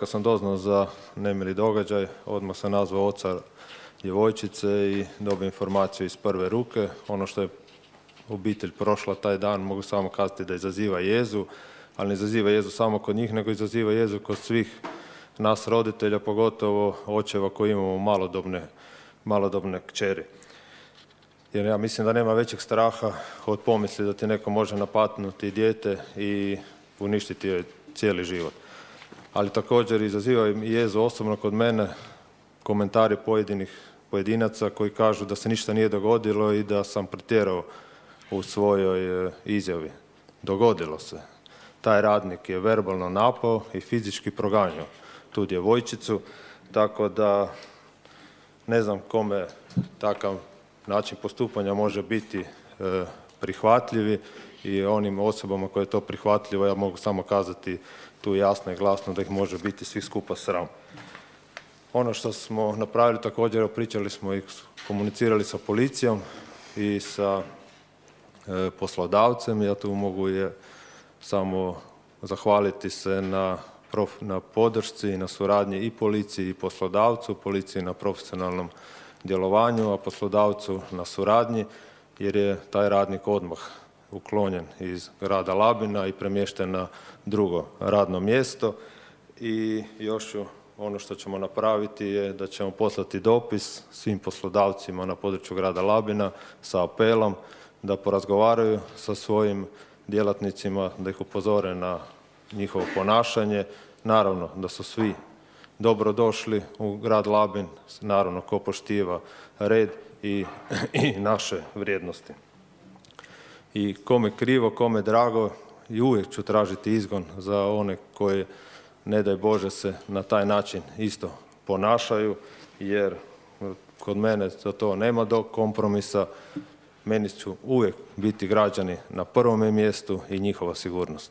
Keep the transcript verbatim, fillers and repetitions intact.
kad sam doznao za nemili događaj, odmah sam nazvao oca djevojčice i dobio informaciju iz prve ruke. Ono što je obitelj prošla taj dan, mogu samo kazati da izaziva jezu, ali ne izaziva jezu samo kod njih, nego izaziva jezu kod svih nas roditelja, pogotovo očeva koji imamo malodobne, malodobne kćeri. Jer ja mislim da nema većeg straha od pomisli da ti neko može napatnuti dijete i uništiti joj cijeli život. Ali također izaziva i jezu osobno kod mene komentari pojedinih pojedinaca koji kažu da se ništa nije dogodilo i da sam pretjerao u svojoj izjavi. Dogodilo se. Taj radnik je verbalno napao i fizički proganjao tu djevojčicu, tako da ne znam kome takav način postupanja može biti e, prihvatljivi i onim osobama koje je to prihvatljivo, ja mogu samo kazati tu jasno i glasno da ih može biti svih skupa sram. Ono što smo napravili također, pričali smo i komunicirali sa policijom i sa e, poslodavcem. Ja tu mogu je samo zahvaliti se na, prof, na podršci i na suradnji i policiji i poslodavcu, policiji na profesionalnom djelovanju, a poslodavcu na suradnji, jer je taj radnik odmah uklonjen iz grada Labina i premješten na drugo radno mjesto. I još ću, ono što ćemo napraviti je da ćemo poslati dopis svim poslodavcima na području grada Labina sa apelom da porazgovaraju sa svojim djelatnicima, da ih upozore na njihovo ponašanje. Naravno da su svi dobro došli u grad Labin, naravno ko poštiva red i, i naše vrijednosti. I kome krivo, kome drago, i uvijek ću tražiti izgon za one koje, ne daj Bože, se na taj način isto ponašaju, jer kod mene za to nema do kompromisa. Meni ću uvijek biti građani na prvome mjestu i njihova sigurnost.